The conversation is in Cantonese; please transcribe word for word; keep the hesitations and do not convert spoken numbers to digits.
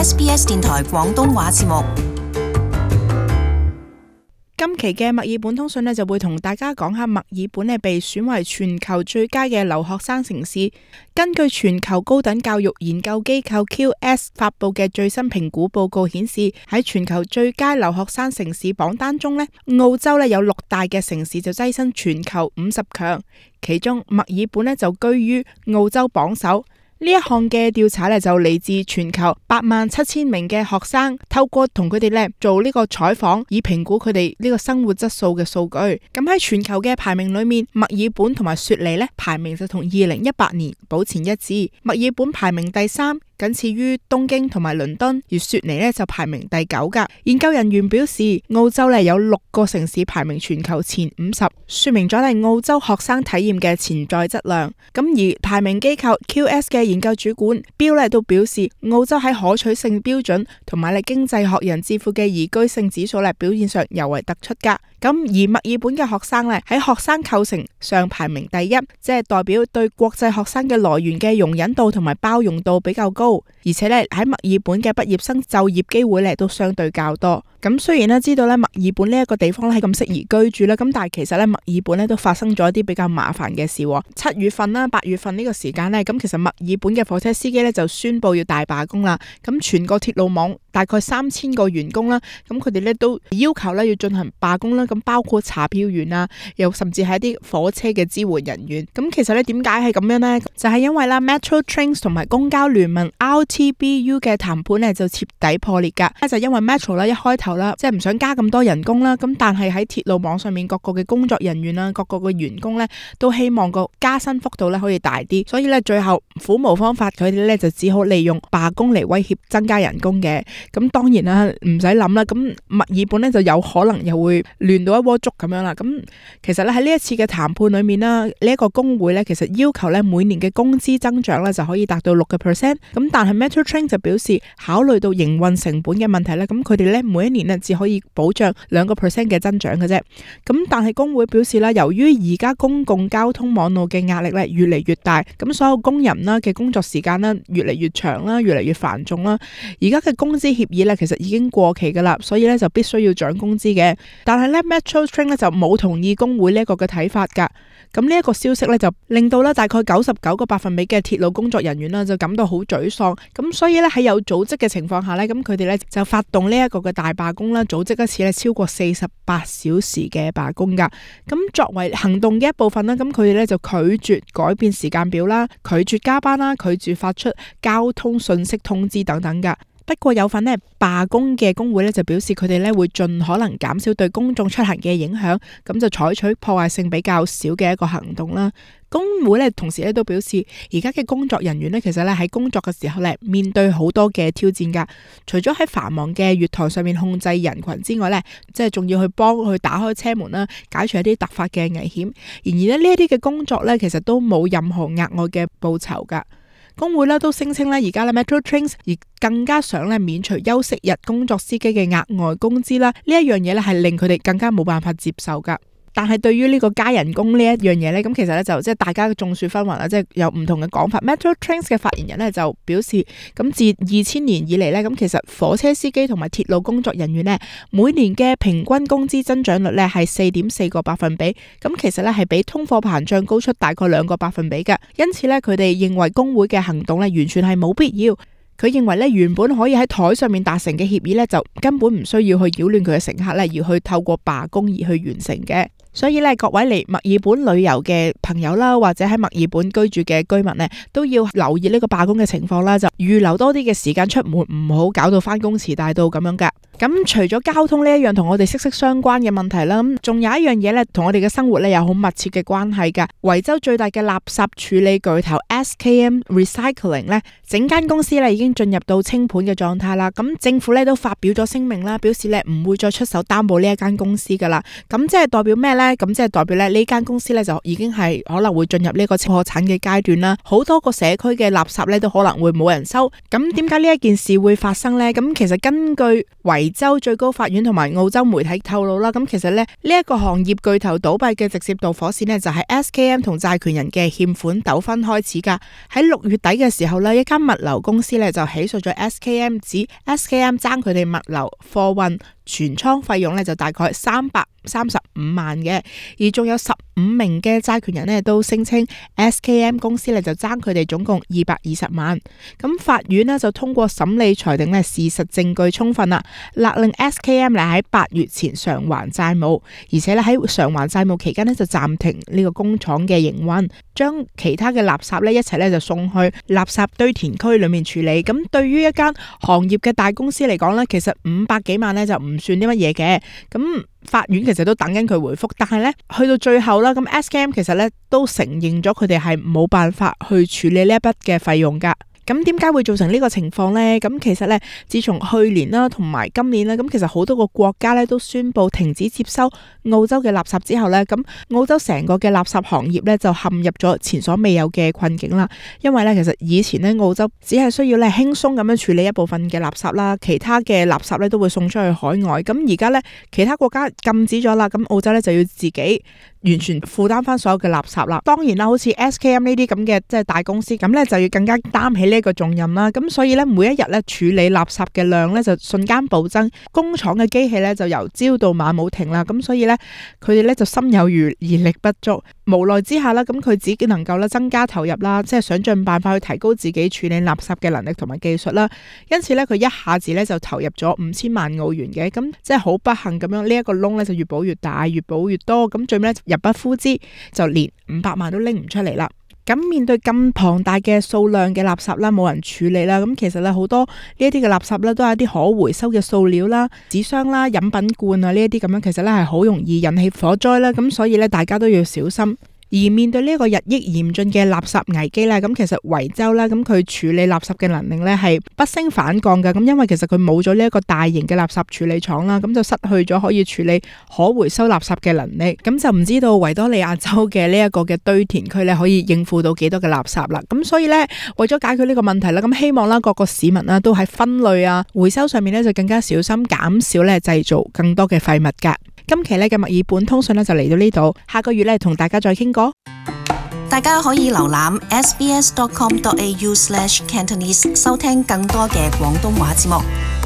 S B S 電台廣東話節目。今期嘅墨爾本通訊呢，就會同大家講下墨爾本呢被選為全球最佳嘅留學生城市。根據全球高等教育研究機構 Q S 發布嘅最新評估報告顯示，喺全球最佳留學生城市榜單中呢，澳洲呢有六大嘅城市就躋身全球五十強，其中墨爾本呢就居於澳洲榜首。呢一項嘅調查咧就嚟自全球八萬七千名嘅學生，透過同佢哋咧做呢個採訪，以評估佢哋呢個生活質素嘅數據。咁喺全球嘅排名裏面，墨爾本同埋雪梨咧排名就同二零一八年保持一致。墨爾本排名第三，僅次於東京同埋倫敦，而雪梨咧就排名第九噶。研究人員表示，澳洲咧有六個城市排名全球前五十，說明咗係澳洲學生體驗嘅潛在質量。咁而排名機構 Q S 嘅研究主管標咧都表示，澳洲喺可取性標準同埋咧經濟學人智庫嘅宜居性指數咧表現上尤為突出噶。咁而墨爾本嘅學生咧喺學生構成上排名第一，即係代表對國際學生嘅來源嘅容忍度同埋包容度比較高，而且咧喺墨爾本嘅畢業生就業機會咧都相對較多。咁雖然咧知道咧墨爾本呢一個地方咧係咁適宜居住啦，咁但係其實咧墨爾本咧都發生咗一啲比較麻煩嘅事。七月份啦、八月份呢個時間咧，咁其實墨爾本嘅火車司機咧就宣布要大罷工啦。咁全個鐵路網大概三千個員工啦，咁佢哋咧都要求咧要進行罷工啦。咁包括查票員啊，又甚至係一啲火車嘅支援人員。咁其實咧點解係咁樣呢？就係因為啦 Metro Trains 同埋公交聯盟 R T B U 嘅談判咧就徹底破裂噶。就因為 Metro 啦一開頭啦，即係唔想加咁多人工啦，咁但係喺鐵路網上面各個嘅工作人員啦，各個嘅員工咧都希望個加薪幅度咧可以大啲，所以咧最後苦無方法，佢哋咧就只好利用罷工嚟威脅增加人工嘅。咁當然啦，唔使諗啦，咁墨爾本咧就有可能又會亂到一鍋粥咁樣啦。咁其實咧喺呢一次嘅談判裏面啦，呢、這、一個工會咧其實要求咧每年嘅工資增長咧就可以達到六個 percent。咁但係 Metro Train 就表示，考慮到營運成本嘅問題咧，咁佢哋咧每一年咧只可以保障兩個 percent 嘅增長嘅啫。咁但係工會表示啦，由於而家公共交通網絡嘅壓力咧越嚟越大，咁所有工人啦嘅工作時間咧越嚟越長啦，越嚟越繁重啦。而家嘅工資協議咧其實已經過期噶啦，所以咧就必須要漲工資嘅。但係咧 Metro Train 咧就冇同意工會呢一個嘅睇法噶。咁呢一個消息咧就令到咧大概九十九個百分比嘅鐵路工作人員啦就感到好沮喪。咁所以咧喺有組織嘅情況下咧，咁佢哋咧就發動呢一個嘅大罷工啦，組織一次咧超過四十八小時嘅罷工噶。咁作為行動嘅一部分啦，咁佢哋咧就拒絕改變時間表啦，拒絕加班啦，拒絕發出交通信息通知等等噶。不過有份呢罷工嘅工會咧就表示，佢哋咧會盡可能減少對公眾出行嘅影響，咁就採取破壞性比較少嘅一個行動啦。工會咧同時咧都表示，而家嘅工作人員咧其實咧喺工作嘅時候咧面對好多嘅挑戰噶，除咗喺繁忙嘅月台上面控制人群之外咧，即係仲要去幫佢打開車門啦，解除一啲突發嘅危險。然而咧呢一啲嘅工作咧其實都冇任何額外嘅報酬噶。工會咧都聲稱咧而家咧 Metro Trains 而更加想咧免除休息日工作司機嘅額外工資啦，呢一樣嘢咧係令佢哋更加冇辦法接受噶。但係對於呢個加人工呢一樣嘢咧，咁其實咧就即係大家眾說紛紜啦，即係有唔同嘅講法。Metro Trains 嘅發言人咧就表示，咁自二千年以嚟咧，咁其實火車司機同埋鐵路工作人員咧每年嘅平均工資增長率咧係四點四個百分比，咁其實咧係比通貨膨脹高出大概兩個百分比嘅。因此咧佢哋認為工會嘅行動咧完全係冇必要。佢認為咧原本可以喺台上面達成嘅協議咧就根本唔需要去擾亂佢嘅乘客咧，而去透過罷工而去完成嘅。所以咧，各位嚟墨爾本旅遊嘅朋友啦，或者喺墨爾本居住嘅居民呢，都要留意呢個罷工嘅情況啦，就預留多啲嘅時間出門，唔好搞到翻工遲大到咁樣噶。咁除咗交通呢一樣同我哋息息相關嘅問題啦，咁仲有一樣嘢咧，同我哋嘅生活咧有好密切嘅關係噶。維州最大嘅垃圾處理巨頭 S K M Recycling 咧，整間公司咧已經進入到清盤嘅狀態啦。咁政府咧都發表咗聲明啦，表示咧唔會再出手擔保呢一間公司噶啦。咁即係代表咩咧？咁即係代表咧呢間公司咧就已經係可能會進入呢個破產嘅階段啦。好多個社區嘅垃圾咧都可能會冇人收。咁點解呢一件事會發生咧？咁其實根據維維州最高法院同埋澳洲媒體透露啦，咁其實咧呢一個行業巨頭倒閉嘅直接導火線呢，就係 S K M 同債權人嘅欠款糾紛開始噶。喺六月底嘅時候呢，一間物流公司咧就起訴咗 S K M， 指 S K M 爭佢哋物流貨運全倉費用咧就大概三百三十五萬嘅，而仲有十五名嘅債權人呢都聲稱 S K M 公司咧就爭佢哋總共二百二十萬。咁法院呢就通過審理裁定呢，事實證據充分啦，勒令 S K M 咧喺八月前償還債務，而且咧喺償還債務期間呢就暫停呢個工廠嘅營運，將其他嘅垃圾咧一齊咧就送去垃圾堆填區裏面處理。咁對於一間行業嘅大公司嚟講呢，其實五百幾萬呢就唔算啲乜嘢嘅。咁法院其實都等緊佢回覆，但係咧去到最後啦，咁 S K M 其實咧都承認咗佢哋係冇辦法去處理呢一筆嘅費用噶。咁點解會造成呢個情況呢？咁其實咧，自從去年啦同埋今年啦，咁其實好多個國家咧都宣布停止接收澳洲嘅垃圾之後咧，咁澳洲成個嘅垃圾行業咧就陷入咗前所未有嘅困境啦。因為咧，其實以前咧澳洲只係需要咧輕鬆咁樣處理一部分嘅垃圾啦，其他嘅垃圾咧都會送出去海外。咁而家咧其他國家禁止咗啦，咁澳洲咧就要自己完全負擔翻所有嘅垃圾啦。當然啦，好似 S K M 呢啲咁嘅即係大公司，咁咧就要更加擔起呢一個重任啦。咁所以咧，每一日咧處理垃圾嘅量咧就瞬間暴增，工廠嘅機器咧就由朝到晚冇停啦。咁所以咧，佢哋咧就心有餘而力不足，無奈之下啦，咁佢只能夠咧增加投入啦，即係想盡辦法去提高自己處理垃圾嘅能力同埋技術啦。因此咧，佢一下子咧就投入咗五千萬澳元嘅，咁即係好不幸咁樣，呢一個窿咧就越補越大，越補越多，咁最尾咧入不敷支，就連五百萬都拎唔出嚟啦。咁面對咁龐大嘅數量嘅垃圾啦，冇人處理啦，咁其實咧好多呢一啲嘅垃圾咧都係一啲可回收嘅塑料啦、紙箱啦、飲品罐啊呢一啲咁樣，其實咧係好容易引起火災啦，咁所以咧大家都要小心。而面對呢一個日益嚴峻嘅垃圾危機咧，咁其實維州啦，咁佢處理垃圾嘅能力咧係不勝反降嘅。咁因為其實佢冇咗呢一個大型嘅垃圾處理廠啦，咁就失去咗可以處理可回收垃圾嘅能力。咁就唔知道維多利亞州嘅呢一個嘅堆填區咧可以應付到幾多嘅垃圾啦。咁所以咧，為咗解決呢個問題啦，咁希望啦各個市民啦都喺分類啊、回收上面咧就更加小心，減少咧製造更多嘅廢物噶。今期咧嘅墨爾本通訊咧就嚟到呢度，下個月咧同大家再傾過。大家可以瀏覽 s b s dot com dot a u slash cantonese 收聽更多嘅廣東話節目。